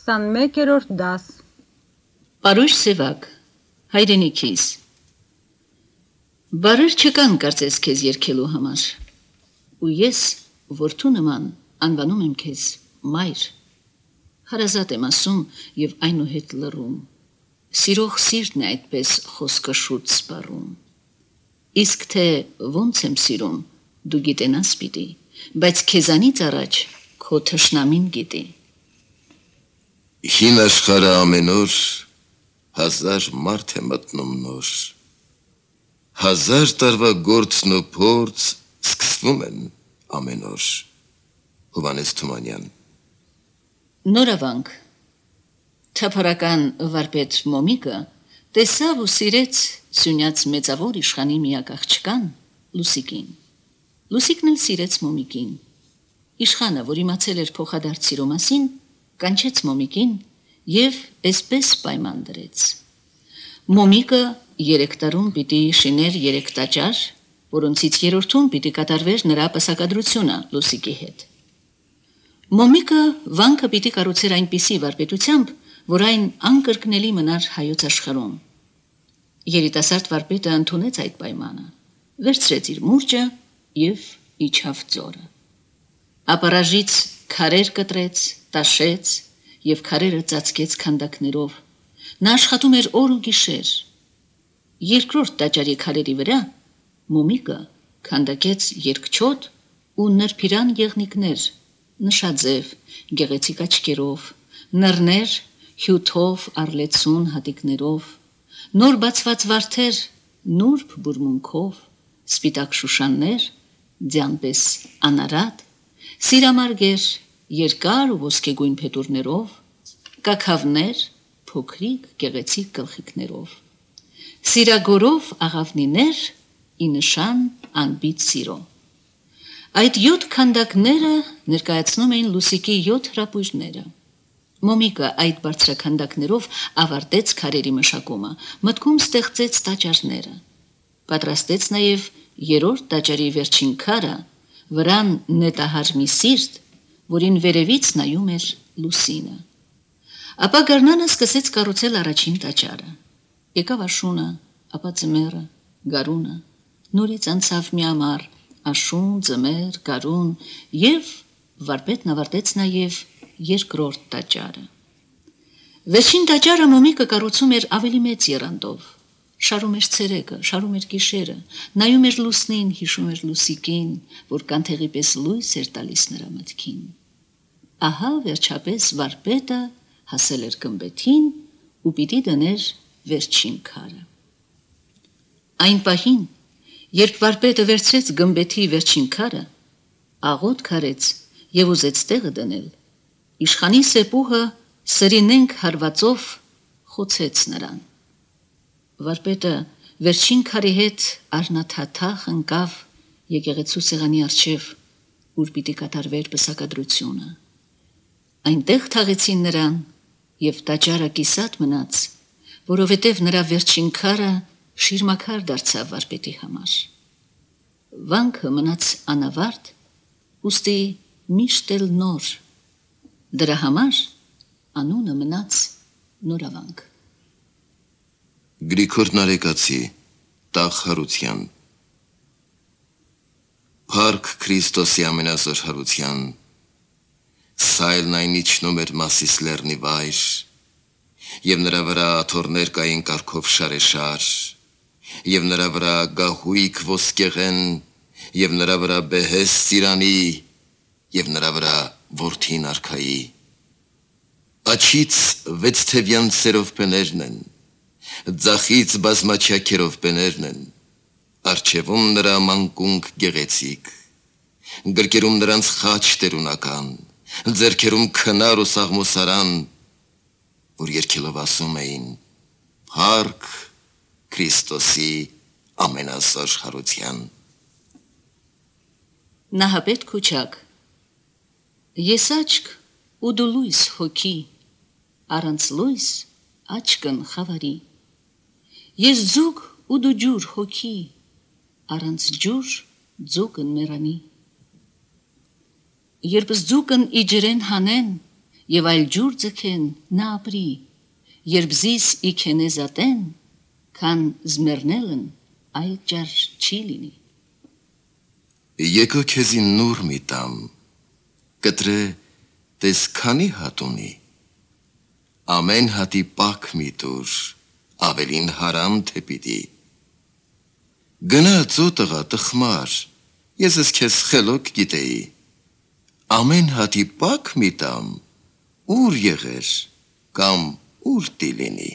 21-րդ դաս Պարույր սևակ, հայրենիքիս Բարեր չկան կարծես քեզ երգելու համար ու ես որդու նման անվանում եմ քեզ մայր հարազատ եմ ասում եւ այնուհետ լռում սիրող սիրտն է այդպես խոսքը շուտ սպառում իսկ թե ոնց եմ սիրում դու գիտենաս պիտի բայց քեզանից առաջ քո թշնամին գիտի Հին աշխարհը ամեն օր 1000 մարդ է մտնում նոր 1000 տարվա գործն ու փորձ սկսվում են ամեն օր Հովհաննես Թումանյան Նորավանք Թափառական վարպետ Մոմիկը տեսավ ու սիրեց սյունյաց մեծավոր իշխանի միակ աղջկան Լուսիկին Լուսիկն էլ սիրեց Մոմիկին Իշխանը, որ իմացել էր փոխադարձ սիրո մասին կանչեց Մոմիկին եւ այսպես պայման դրեց Մոմիկը 3 տարում պիտի շիներ 3 տաճար որոնցից երրորդում պիտի կատարվեր նրա պսակադրությունը Լուսիկի հետ Մոմիկը վանքը պիտի կառուցեր այնպիսի վարպետությամբ որ այն անկրկնելի մնար հայոց աշխարհում երիտասարդ վարպետը ընդունեց այդ պայմանը վերցրեց իր մուրճը եւ իջավ ձորը ապարաժից քարեր կտրեց տաշեց եւ քարերը ծածկեց քանդակներով նա աշխատում էր օր ու գիշեր երկրորդ տաճարի քարերի վրա Մոմիկը քանդակեց երկչոտ ու նրբիրան եղնիկներ նշաձև գեղեցիկ աչքերով նռներ հյութով արլեցուն հատիկներով նոր բացված վարդեր նուրբ բուրմունքով սպիտակ շուշաններ ձյանպես անարատ սիրամարգեր երկար ու ոսկեգույն փետուրներով կակավներ փոքրիկ գեղեցիկ գլխիկներով սիրագորով աղավնիներ ի նշան անբիծ սիրո այդ 7 քանդակները ներկայացնում էին Լուսիկի 7 հրապույրները Մոմիկը այդ բարձրաքանդակներով ավարտեց քարերի մշակումը մտքում ստեղծեց տաճարները պատրաստեց նաև երրորդ տաճարի վերջին քարը վրան նետահար մի սիրտ որին վերևից նայում էր Լուսինը ապա Գառնանը սկսեց կառուցել առաջին տաճարը եկավ աշունը ապա ձմեռը գարունը նորից անցավ մի ամառ աշուն ձմեռ գարուն եւ վարպետն ավարտեց նաեւ երկրորդ տաճարը վերջին տաճարը Մոմիկը կառուցում էր ավելի մեծ եռանդով շարում էր ցերեկը շարում էր գիշերը նայում էր լուսնին հիշում էր Լուսիկին որ կանթեղի պես լույս էր տալիս նրա մտքին ահա վերջապես վարպետը հասել էր գմբեթին ու պիտի դներ վերջին քարը այն պահին երբ վարպետը վերցրեց գմբեթի վերջին քարը աղոտ քարեց եւ ուզեց տեղը դնել իշխանի սեպուհը սրինենք հարվածով խոցեց նրան Վարպետը վերջին քարի հետ արնաթաթախ ընկավ եկեղեցու սեղանի առջև, ուր պիտի կատարվեր պսակադրությունը։ Այնտեղ թաղեցին նրան եւ տաճարը կիսատ մնաց, որովհետեւ նրա վերջին քարը շիրմաքար դարձավ վարպետի համար։ Վանքը մնաց անավարտ, ուստի միշտ էլ նոր։ Դրա համար անունը մնաց Նորավանք։ Գրիգոր Նարեկացի Տաղ Հարության Փառք Քրիստոսի ամենազոր հարության Սայլն այն իջնում էր Մասիս լեռնի վայր եւ նրա վրա աթոռներ կային կարգով շարեշար եւ նրա վրա գահույք ոսկեղեն եւ նրա վրա բեհես ծիրանի եւ նրա վրա որդին արքայի Աչից 6 թևյան սերով պներն են Ձախից բազմաչակերով պներն են, արջևում նրա մանկունք գեղեցիկ, գրկերում նրանց խաչ տերունական, ձերքերում քնար ու սաղմոսարան, որ երկելով ասում էին, Փառք Քրիստոսի ամենազոր հարության։ Նահապետ Քուչակ Ես աչք ու դու լույս հոգի, առանց լույս աչքն խավարի Ես ձուկ ու դու ջուր հոգի, առանց ջուր ձուկն մեռանի։ Երբ ձուկն իջրեն հանեն, եւ այլ ջուր ձգեն նա ապրի, երբ զիս իքենեզատեն, քան զմերնելն այլ ճար չի լինի։ Եկո քեզի նուր մի տամ, կտրե տես քանի հատ ունի, ամեն հատի պակ մի տուր, ավելին հարամ թե պիտի։ Գնա ծոտղա տխմար, ես ես քեզ խելոք գիտեի, ամեն հատի պակ մի տամ, ուր եղեր, կամ ուր տի լինի։